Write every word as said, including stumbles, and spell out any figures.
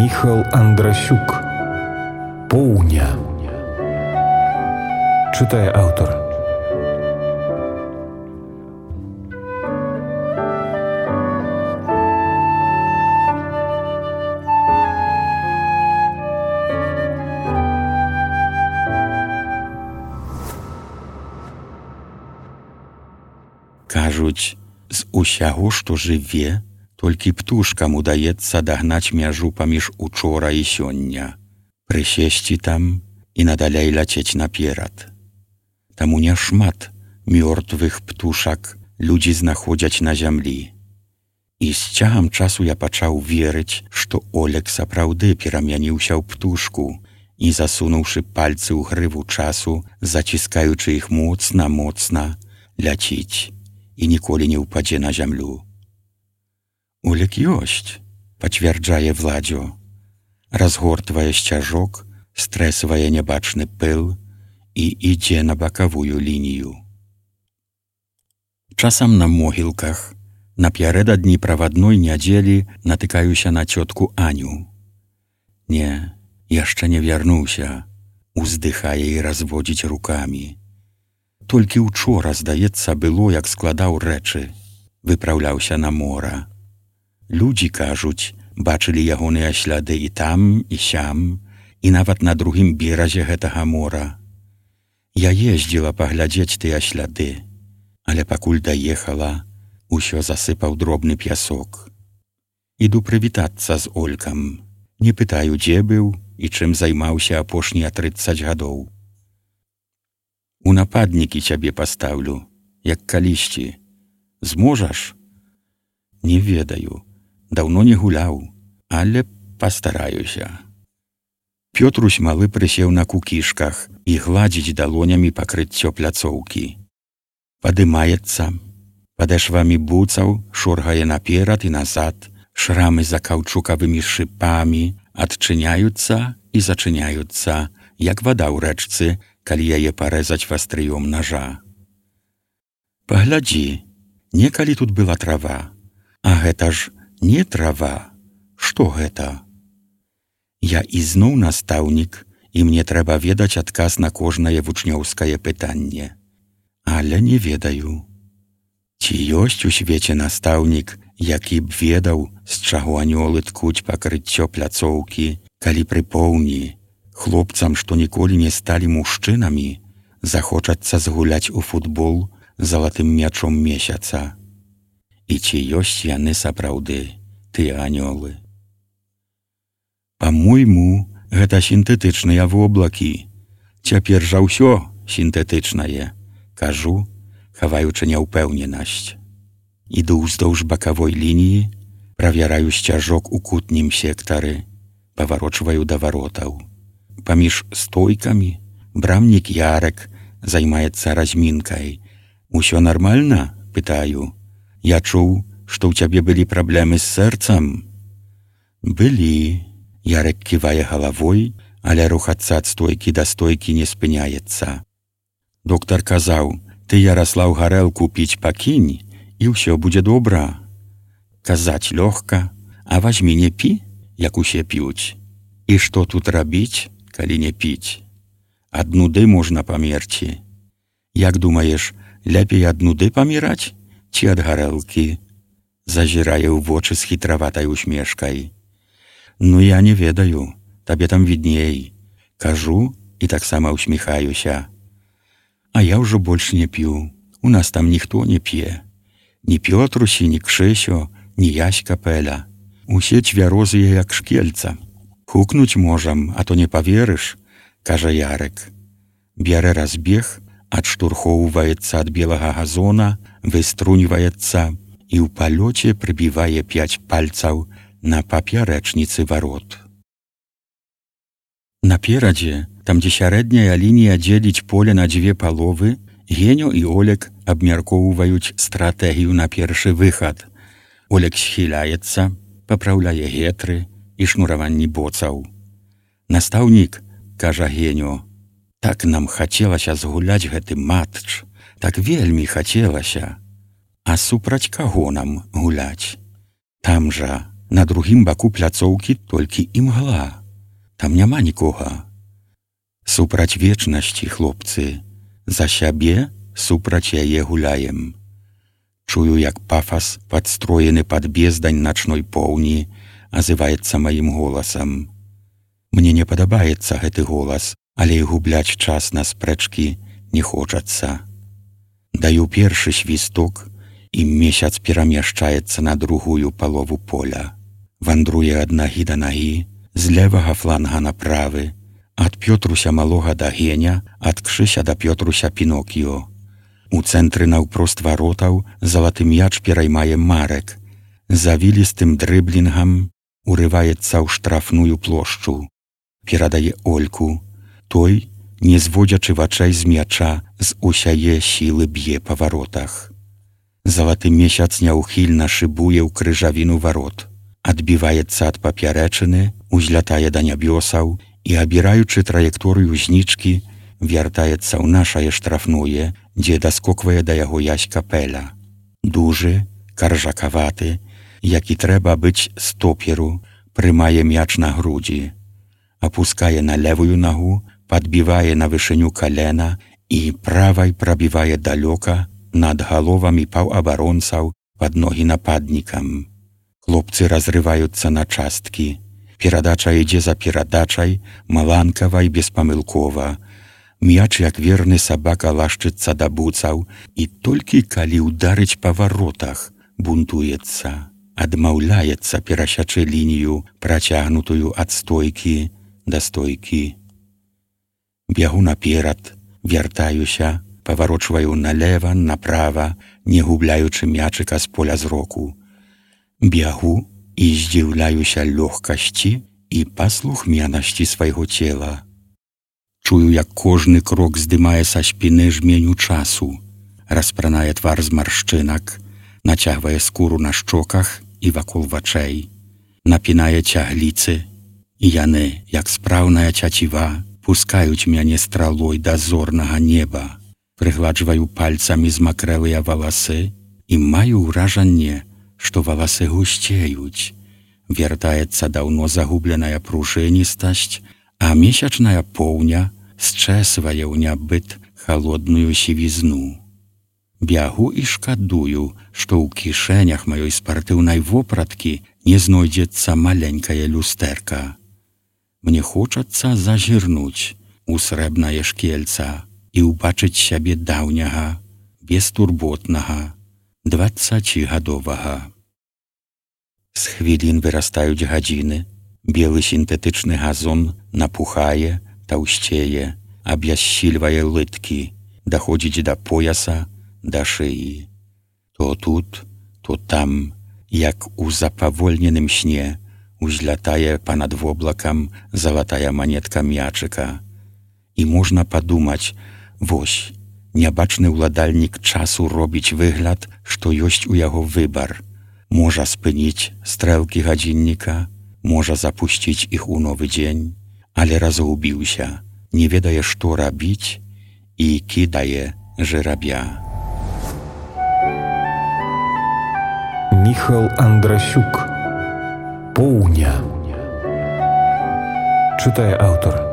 Міхал Андрасюк. Поўня. Чытае аўтар. Кажуць, з усяго, што жыве, толькі птушкам удаецца дагнаць мяжу паміж учора і сёння, прысесці там і надалей ляцець наперад. Таму няшмат мёртвых птушак людзі знаходзяць на зямлі. І з цягам часу я пачаў верыць, што Олег сапраўды перамяніўся ў птушку і, засунуўшы пальцы ў грыву часу, заціскаючы іх моцна-моцна, ляціць і ніколі не ўпадзе на зямлю. Олег ёсць, пацвярджае Владзё, разгортвае сцяжок, стрэсвае нябачны пыл і ідзе на бакавую лінію. Часам на могілках, напярэдадні правадной нядзелі натыкаюся на цётку Аню. Не, яшчэ не вярнуўся, уздыхае і разводзіць рукамі. Толькі учора, здаецца, было, як складаў рэчы, выпраўляўся на мора. Людзі, кажуць, бачылі ягоныя сляды і там, і сям, і нават на другім беразе гэтага мора. Я ездзіла паглядзець тыя сляды, але пакуль даехала, усё засыпаў дробны пясок. Іду прывітацца з Олькам. Не пытаю, дзе быў і чым займаўся апошнія трыццаць гадоў. У нападнікі цябе пастаўлю, як калісьці. Зможаш? Не ведаю. Даўно не гуляў, але пастараюся. Пётрусь малы прысеў на кукішках і гладзіць далонямі пакрыццё пляцоўкі. Падымаецца, падэшвамі буцаў шоргае наперад і назад, шрамы за каўчукавымі шыпамі адчыняюцца і зачыняюцца, як вада ў рэчцы, калі яе парэзаць вастрыём нажа. Паглядзі, некалі тут была трава, а гэта ж не трава. Што гэта? Я ізноў настаўнік, і мне трэба ведаць адказ на кожнае вучнёўскае пытанне. Але не ведаю. Ці ёсць у свеце настаўнік, які б ведаў, з чаго анёлы ткуць пакрыццё пляцоўкі, калі прыпоўні, хлопцам, што ніколі не сталі мужчынамі, захочацца згуляць у футбол залатым мячом месяца. І ці ёсць яны сапраўды, тыя анёлы? Па-мойму, гэта сінтэтычныя воблакі. Цяпер жа ўсё сінтэтычнае, кажу, хаваючы няўпэўненасць. Іду ўздоўж бакавой лініі, правяраю сцяжок у кутнім сектары, паварочваю да варотаў. Паміж стойкамі брамнік Ярек займаецца размінкай. Усё нармальна? Пытаю. Я чуў, што ў цябе былі праблемы з сэрцам? Былі. Ярек ківае галавой, але рухацца ад стойкі да стойкі не спыняецца. Доктар казаў, ты, Яраслаў, гарэлку піць пакінь, і ўсё будзе добра. Казаць лёгка, а вазьмі не пі, як усе п'юць. І што тут рабіць, калі не піць? Ад нуды можна памерці. Як думаеш, лепей ад нуды паміраць, ці ад гарэлкі? Зазірае ў вочы з хітраватай усмешкай. Ну, я не ведаю, табе там відней. Кажу і таксама усміхаюся. А я ўжо больш не п'ю. У нас там ніхто не п'е. Ні Пётрусі, ні Кшэсё, ні Яська Пэля. Усе цвярозыя, як шкельца. Хукнуць можам, а то не паверыш, кажа Ярек. Бярэ разбег, адштурхоўваецца ад белага газона, выструньваецца і ў палёце прыбівае пяць пальцаў на папярэчніцы варот. Наперадзе, там, дзе сярэдняя лінія дзеліць поле на дзве паловы, Геню і Олег абмяркоўваюць стратэгію на першы выхад. Олег схіляецца, папраўляе гетры і шнураванні боцаў. Настаўнік, кажа Геню, так нам хацелася згуляць гэты матч, так вельмі хацелася. А супраць каго нам гуляць? Там жа На другім баку пляцоўкі толькі імгла. Там няма нікога. Супраць вечнасці, хлопцы, за сябе супраць яе гуляем. Чую, як пафас, падстроены пад бездань начной поўні, азываецца маім голасам. Мне не падабаецца гэты голас, але і губляць час на спрэчкі не хочацца. Даю першы свісток, і месяц перамяшчаецца на другую палову поля. Вандруе ад нагі да нагі, з левага фланга на правы, ад Пётруся малога да Геня, ад Кшыся да Пётруся Пінокіо. У цэнтры наўпрост варотаў залаты мяч пераймае Марек. Завілістым дрыблінгам урываецца ў штрафную плошчу. Перадае Ольку. Той, не зводзячы вачэй з мяча, з усяе сілы б'е па варотах. Залаты месяц няўхільна шыбуе ў крыжавіну варот. Адбіваецца ад папярэчыны, узлятае да нябёсаў і, абіраючы траекторыю знічкі, вяртаецца ў нашае штрафное, дзе даскоквае да яго Ясь Капеля. Дужы, каржакаваты, які трэба быць стоперу, прымае мяч на грудзі, апускае на левую нагу, падбівае на вышыню калена і правай прабівае далёка над галовамі паўабаронцаў пад ногі нападнікам. Хлопцы разрываюцца на часткі. Перадача ідзе за перадачай, маланкава і беспамылкова. Мяч, як верны сабака, лашчыцца да буцаў і толькі калі ўдарыць па варотах, бунтуецца, адмаўляецца перасячы лінію, працягнутую ад стойкі да стойкі. Бягу наперад, вяртаюся, паварочваю налева, направа, не губляючы мячыка з поля зроку. Бягу і здзіўляюся лёгкасці і паслухмянасці свайго цела. Чую, як кожны крок здымае са спіны жменю часу, распранае твар з маршчынак, нацягвае скуру на шчоках і вакол вачэй, напінае цягліцы, і яны, як спраўная цяціва, пускаюць мяне стралой да зорнага неба. Прыгладжваю пальцамі змакрэлыя валасы і маю ўражанне, што валасы гусцеюць. Вяртаецца даўно загубленая пружыністасць, а месячная поўня счэсвае ў нябыт халодную сівізну. Бягу і шкадую, што ў кішэнях маёй спартыўнай вопраткі не знойдзецца маленькае люстэрка. Мне хочацца зазірнуць у срэбнае шкельца і ўбачыць сябе даўняга, бестурботнага, дваццацігадовага. З хвілін вырастаюць гадзіны, белы сінтэтычны газон напухае, таўсцее, абяссільвае лыткі, даходзіць да пояса, да шыі. То тут, то там, як у запавольненым сне, узлятае панад воблакам залатая манетка мячыка. І можна падумаць, вось, нябачны ўладальнік часу робіць выгляд, што ёсць у яго выбар. Можа спыніць стрэлкі гадзінніка, можа запусціць іх у новы дзень, але разгубіўся, не ведае, што рабіць, і кідае жырабя. Міхал Андрасюк. Поўня. Чытае аўтар.